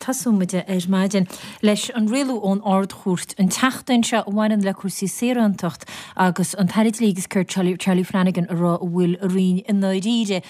Tosóidh muid ar maidin leis an rialú ón Ard-Chúirt an tseachtain seo a bhaineann le cúrsaí saorántacht agus an tAire Dlí agus Cirt Charlie Flanagan ag rá a bhfuil a Roinn i ndáiríre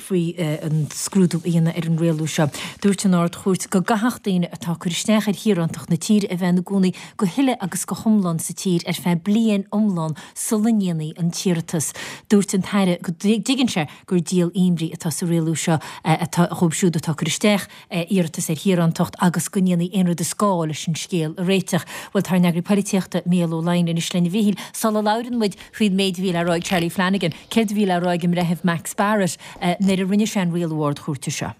faoi an scrúdú a dhéanamh ar an rialú seo. Dúirt an Ard-Chúirt go gcaithfeadh daoine atá ag cur isteach ar shaorántacht na tíre a bheith ina gcónaí go huile agus go hiomlán sa tír ar feadh bliain iomlán sula ndéanfaí an t-iarratas. Dúirt an tAire go dtuigeann sé gur díol imní atá sa rialú seo atá dhóibh siúd atá ag cur isteach iarratas ar shaorántacht agus go ndéanfaí aon rud is gá leis an scéal a réiteach. Bhuel, tá ár n-eagraí polaitíochta, Mícheál Ó Laighin, anois linn a Mhíchíl. Sula labhrann muid faoin méid a bhí le rá ag Charlie Flanagan, céard a bhí le rá ag an mBreitheamh Max Barrett nuair a rinne sé an rialú Ard-Chúirte seo?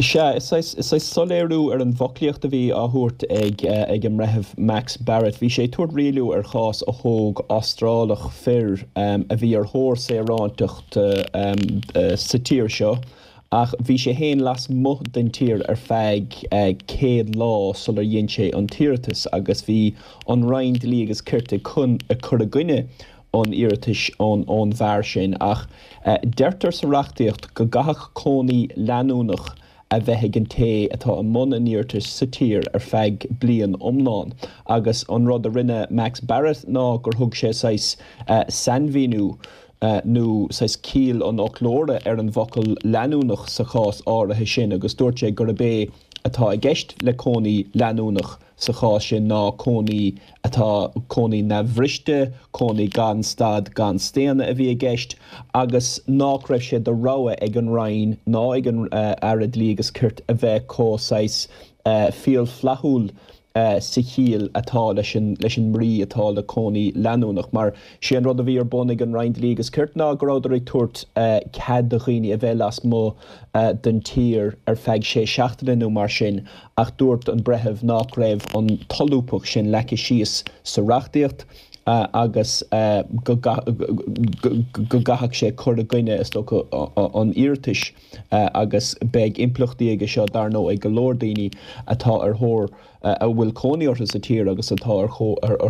Sea, is saghas soiléiriú ar an bhfoclaíocht a bhí á thabhairt ag ag an mBreitheamh Max Barrett. Bhí sé ag tabhairt rialú ar chás a thóg Astrálach fir a bhí ar thóir saorántacht sa tír seo ach bhí sé féin lasmuigh den tír ar feadh 100 lá sular dhein sé an t-iarratas agus bhí an Roinn Dlí agus Cirt ag cur i gcoinne an iarratais ón bhfear sin ach deirtear sa reachtaíocht go gcaithfeadh cónaí leanúnach a bheith ag an té atá i mbun an iarratais sa tír ar feadh bliain iomlán agus an rud a rinne Max Barrett ná gur thug sé saghas sainmhíniú nó saghas ciall an fhoclóra ar an bhfocal leanúnach sa chás áirithe sin agus dúirt sé gurb é atá i gceist le cónaí leanúnach sa chás sin ná cónaí atá, cónaí neamhbhriste, cónaí gan stad gan staonadh a bhí i gceist agus nách raibh sé de rogha ag an Roinn ná ag an Aire Dlí agus Cirt a bheith chomh saghas fial flaithiúil sa chiall atá leis an leis an mbrí atá le cónaí leanúnach. Mar sé an rud a bhí ar bun ag an Roinn Dlí agus Cirt ná go rabhadar ag tabhairt cead do dhaoine a bheith lasmuigh den tír ar feadh sé seachtaine nó mar sin ach dúirt an breitheamh nách raibh an tsolúbthacht sin leagtha síos sa reachtaíocht agus go gcaithfeadh sé cur i gcoinne, is dócha, an iarratais agus beidh impleachtaí aige seo, dar ndóigh, ag go leor daoine atá ar thóir, a bhfuil cónaí orthu sa tír agus atá ar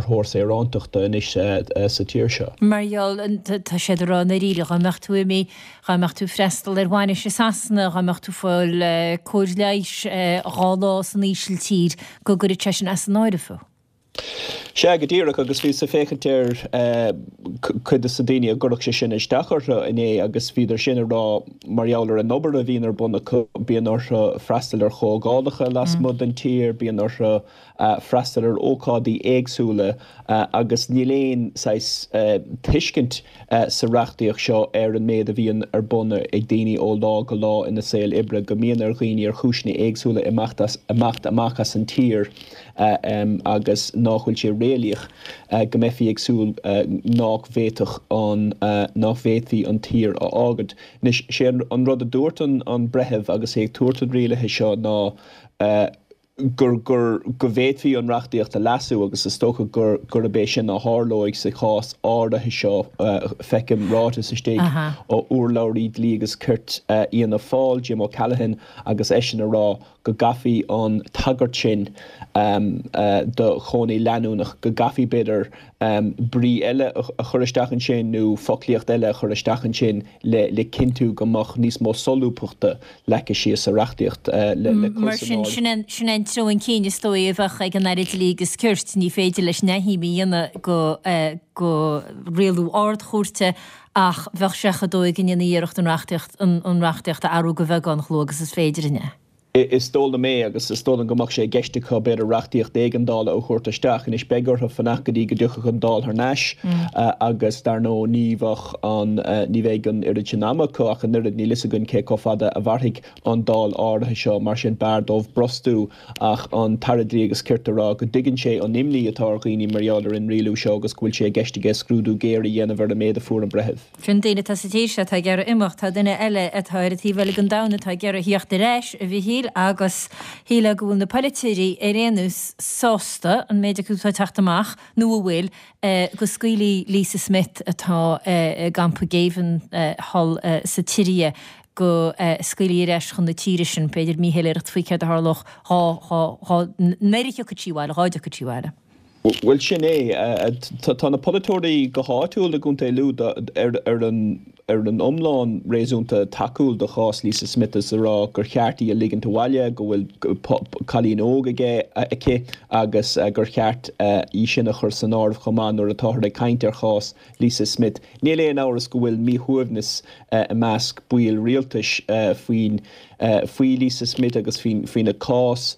thóir saorántachta anois sa tír seo. Mar gheall, tá siad ag rá i ndáiríre, dá mbeadh tú imithe Dhá mbeadh tú ag freastal ar bhainis i Sasana, dhá mbeadh tú ag fáil cóir leighis 2 lá san Ísiltír, go gcuirfeadh sé sin as an áireamh thú. Sea, go díreach, agus bhíos ag féachaint ar cuid de na daoine a gcuirfeadh sé sin isteach orthu inné agus bhíodar sin ag rá mar gheall ar an obair a bhíonn ar bun acu, bíonn orthu freastal ar chomhdhálacha lasmuigh den tír, bíonn orthu freastal ar ócáidí éagsúla agus níl aon saghas tuiscint sa reachtaíocht seo ar an méid a bhíonn ar bun ag daoine ó lá go lá ina saol oibre, go mbíonn ar dhaoine ar chúiseanna éagsúla imeacht as, imeacht amach as an tír agus nách bhfuil sé réalaíoch go mbeifí ag súil nách bhféadfadh an, nách bhféadfaí an tír a fhágaint. Anois, sé an rud a dúirt an breitheamh agus é ag tabhairt an rialaithe seo ná, gur, gur, go bhféadfaí an reachtaíocht a leasú agus is dócha gur, gurb é sin a tharlóidh sa chás áirithe seo. Feicim ráiteas istigh ó urlabhraí Dlí agus Cirt Fhianna Fáil, Jim O'Callaghan, agus eisean ag rá go gcaithfí an tagairt sin do chónaí leanúnach, go gcaithfí b'fhéidir brí eile a chur isteach ansin nó foclaíocht eile a chur isteach ansin le cinntiú go mbeadh níos mó solúbthachta leagtha síos sa reachtaíocht le cur san áireamh. Mar sin, sin é an treo chun cinn is dóigh a bheadh ag an Aire Dlí agus Cirt. Ní féidir leis neamhshuim a dhéanamh de rialú Ard-Chúirte ach bheadh sé chomh dóigh go ndéanfaí iarracht an reachtaíocht an reachtaíocht a athrú de bheagán chomh luath agus is féidir, an ea? Is dóigh liom é agus is dóigh liom go mbeadh sé i gceist acu b'fhéidir reachtaíocht éigeandála a thabhairt isteach. Anois beidh orthu fanacht go dtí go dtiocfadh an Dáil thar n-ais agus dar ndóigh ní bheadh an, ní bheidh an oiread sin ama acu ach an oiread, níl fhios againn cé chomh fada a mhairfidh an Dáil áirithe seo, mar sin b'fhearr dóibh brostú ach an tAire Dlí agus Cirt a rá go dtuigeann sé an imní atá ar dhaoine mar gheall ar an rialú seo agus go bhfuil sé i gceist aige scrúdú géar a dhéanamh ar an méid a fuair an breitheamh. Sin duine atá sa tír seo atá ag iarraidh imeacht. Tá duine eile atá ar an taobh eile den domhan atá ag iarraidh theacht ar ais, a Mhichíl, agus shílfeá go bhfuil na polaiteoirí ar aon nós sásta, an méid acu atá ag teacht amach, nó a bhfuil, go scaoilfí Lisa Smith atá i gcampa géibhinn thall sa tSiria, go scaoilfí ar ais chun na tíre sin. B'fhéidir míshoiléireacht faoi céard a tharlódh dhá, dhá, dhá, nuair a thiocfadh sí abhaile, dhá dtiocfadh sí abhaile. Bhuel, sin é. Tá na polaiteoirí go háitiúil i gContae Lú ar an. Ar an iomlán, réasúnta tacúil do chás Lisa Smith is ag rá gur cheart í a ligint abhaile, go bhfuil cailín óg aige, aici agus gur cheart í sin a chur san áireamh chomh maith nuair atáthar ag caint ar chás Lisa Smith. Níl aon amhras go bhfuil míshuaimhneas i measc baill rialtais faoin faoi Lisa Smith agus faoina cás,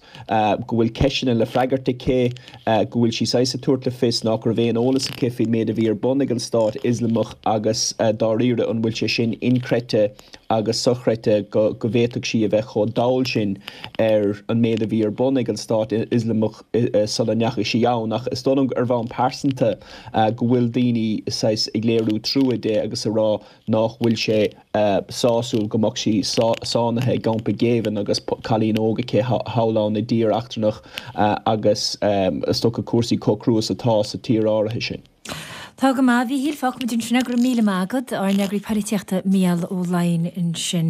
go bhfuil ceisteanna le freagairt aici, go bhfuil sí saghas ag tabhairt le fios nach raibh aon eolas aici faoin méid a bhí ar bun ag an Stát Ioslamach agus dáiríre an bhfuil sé sin inchreidte agus sochreidte go bhféadfadh sí a bheith chomh dall sin ar an méid a bhí ar bun ag an Stát Ioslamach sula ndeachaigh sí ann. Ach is dóigh liom ar bhonn pearsanta go bhfuil daoine saghas ag léiriú trua di agus ag rá nach bhfuil sé sásúil go mbeadh sí sáinnithe i gcampa géibhinn agus cailín óg aici thall ann i dtír eachtrannach agus is dócha cúrsaí chomh crua is atá sa tír áirithe sin. Tá go maith, a Mhíchíl, fágfaimid ansin é, go raibh míle maith agat, ár n-eagraí polaitíochta Mícheál Ó Laighin ansin.